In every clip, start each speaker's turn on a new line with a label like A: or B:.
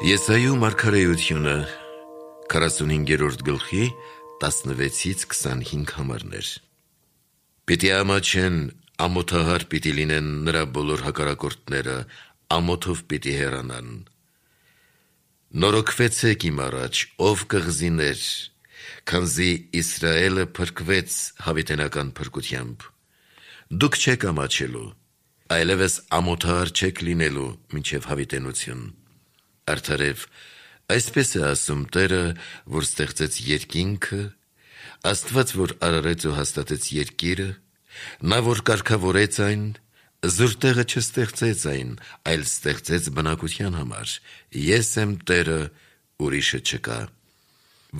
A: Եսայու մարգարեությունը 45-րդ գլխի 16-ից 25 համարներ։ Պիտի ամաչեն, ամոթահար պիտի լինեն նրա բոլոր հակառակորդները, ամոթով պիտի հեռանան։ Նորոգվեցեք իմ առաջ, ով կղզիներ, քանզի Իսրայելը փրկվեց հավիտենական փրկությամբ։ Դուք չեք ամաչելու, այլևս ամոթահար չեք լինելու մինչև հավիտենություն։ Արդարև, այսպես է ասում Տերը, որ ստեղծեց երկինքը, Աստված, որ արարեց ու հաստատեց երկիրը, նա, որ կարգավորեց այն, զուր տեղը չստեղծեց այն, այլ ստեղծեց բնակության համար։ Ես եմ Տերը, ուրիշը չկա։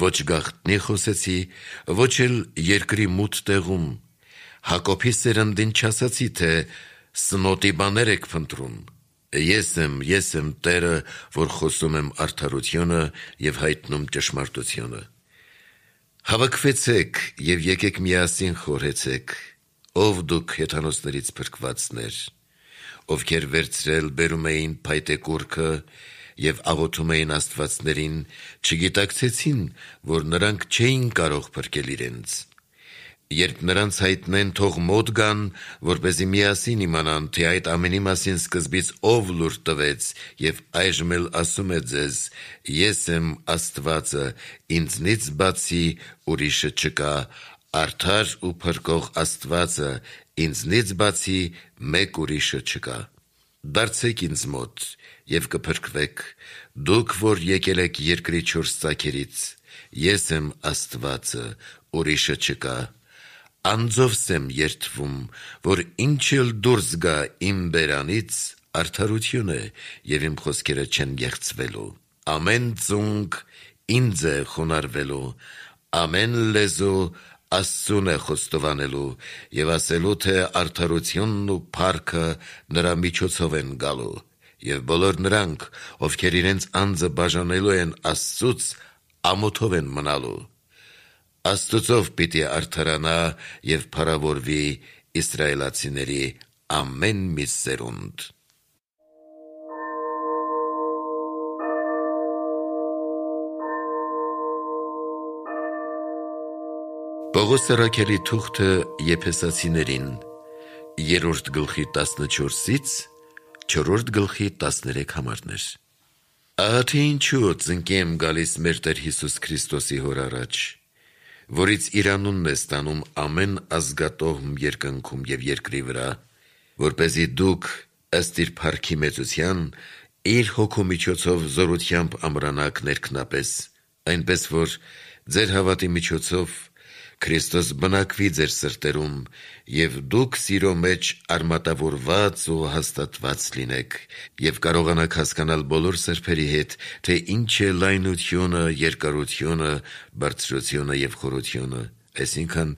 A: Ոչ գաղտնի խոսեցի, ոչ էլ երկրի մութ տեղում, Հակոբի սերնդին չասացի, թե սնոտի բաներ եք փնտրում։ Ես եմ Տերը, որ խոսում եմ արդարությունը և հայտնում ճշմարտությունը։ Հավաքվեցեք և եկեք միասին խորհեցեք, ով դուք հեթանոսներից փրկվածներ, ովքեր վերցրել բերում էին փայտե կուռքը և աղոթում էին աստվածներին, չգիտակցեցին, որ նրանք չէին կարող փրկել իրենց։ Երբ նրանց հայտնեն, թող մոտ գան, որպեսզի միասին իմանան, թե այդ ամենի մասին սկզբից ով լուր տվեց և այժմ էլ ասում է ձեզ. ես եմ Աստվածը, ինձնից բացի ուրիշը չկա, արդար ու փրկող Աստվածը, ինձնից բացի մեկ ուրիշը չկա։ Դարձեք ինձ մոտ և կփրկվեք, դուք, որ եկել եք երկրի չորս ծագերից, ես եմ Աստվածը, ուրիշը չկա։ Անձովս եմ երդվում, որ ինչ էլ դուրս գա իմ բերանից, արդարություն է և իմ խոսքերը չեն գեղցվելու։ Ամեն ծունկ ինձ է խոնարհվելու, ամեն լեզու Աստծուն է խոստովանելու և ասելու, թե արդարությունն ու փառքը նրա միջոցով են գալու, և բոլոր նրանք, ովքեր իրենց անձը բաժանելու են Աստծուց, ամոթով են մնալու։ Աստծով պիտի արդարանա և փառավորվի իսրայելացիների ամեն մի սերունդ։ Պողոս առաքյալի թուղթը Եփեսացիներին 3-րդ գլխի 14-ից 4-րդ գլխի 13 համարներ։ Ահա թե ինչու ծնկի եմ գալիս մեր Տեր Հիսուս Քրիստոսի հոր առաջ, որից իր անունն է ստանում ամեն ազգատոհմ երկնքում և երկրի վրա, որպեսզի դուք ըստ իր փառքի մեծության իր հոգու միջոցով զորությամբ ամրանաք ներքնապես, այնպես որ ձեր հավատի միջոցով Քրիստոս բնակվի ձեր սրտերում, և դուք սիրո մեջ արմատավորված ու հաստատված լինեք, և կարողանաք հասկանալ բոլոր սրբերի հետ, թե ինչ է լայնությունը, երկարությունը, բարձրությունը և խորությունը, այսինքն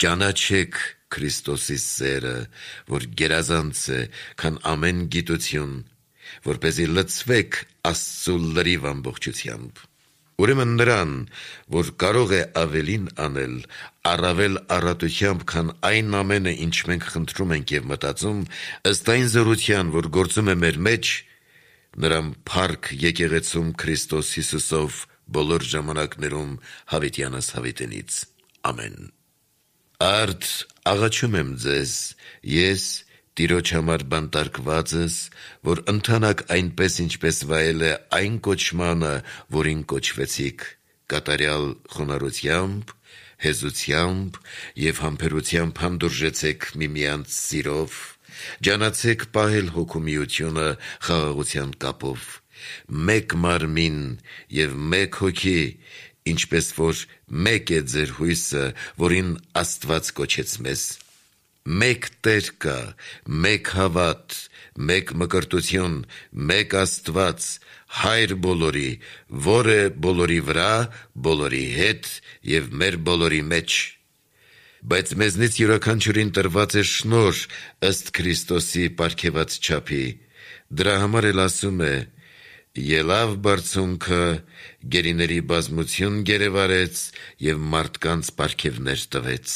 A: ճանաչեք Քրիստոսի սերը, որ գերազանց է, քան ամեն գիտություն, որպեսզի լցվեք Աստծու լրիվ ամբողջությամբ։ Ուրեմն նրան, որ կարող է ավելին անել, առավել առատությամբ, քան այն ամենը, ինչ մենք խնդրում ենք և մտածում, ըստ այն զորության, որ գործում է մեր մեջ, նրան փառք եկեղեցում Քրիստոս Հիսուսով բոլոր ժամանակներում հավիտյանս հավիտենից։ Ամեն։ Արդ աղաչում եմ ձեզ, ես Տիրոջ համար բանտարկվածս, որ ընթանաք այնպես, ինչպես վայել է այն կոչմանը, որին կոչվեցիք, կատարյալ խոնարհությամբ, հեզությամբ և համբերությամբ հանդուրժեցեք միմյանց սիրով, ջանացեք պահել հոգու միությունը խաղաղության կապով, մեկ մարմին և մեկ հոգի, ինչպես որ մեկ է ձեր հույսը, որին Աստված կոչեց մեզ։ Մեկ Տեր կա, մեկ հավատ, մեկ մկրտություն, մեկ Աստված, Հայր բոլորի, որ է բոլորի վրա, բոլորի հետ և մեր բոլորի մեջ։ Բայց մեզնից յուրաքանչյուրին տրված է շնորհ ըստ Քրիստոսի պարգևած չափի։ Դրա համար էլ ասում է. ելավ բարձունքը, գերիների բազմություն գերեվարեց և մարդկանց պարգևներ տվեց։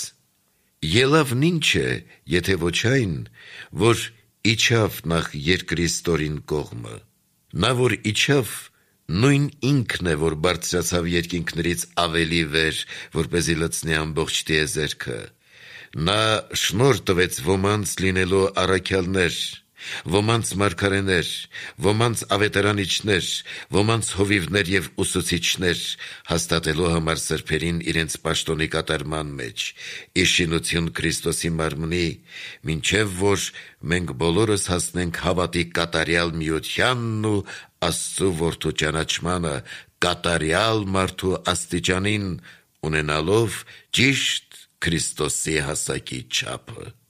A: Ելավն ինչ է, եթե ոչ այն, որ իջավ նախ երկրի ստորին կողմը։ Նա, որ իջավ, Նույն ինքն է, որ բարձրացավ երկինքներից ավելի վեր, որպեսզի լցնի ամբողջ տիեզերքը։ Նա շնորհ տվեց ոմանց լինելու առաքյալներ, ոմանց մարգարեներ, ոմանց ավետարանիչներ, ոմանց հովիվներ և ուսուցիչներ, հաստատելու համար սրբերին իրենց պաշտոնի կատարման մեջ, ի շինություն Քրիստոսի մարմնի, մինչև որ մենք բոլորս հասնենք հավատի կատարյալ միությանն ու Աստծու որդու ճանաչմանը, կատարյալ մարդու աստիճանին, ունենալով ճիշտ Քրիստոսի հասակի չափը։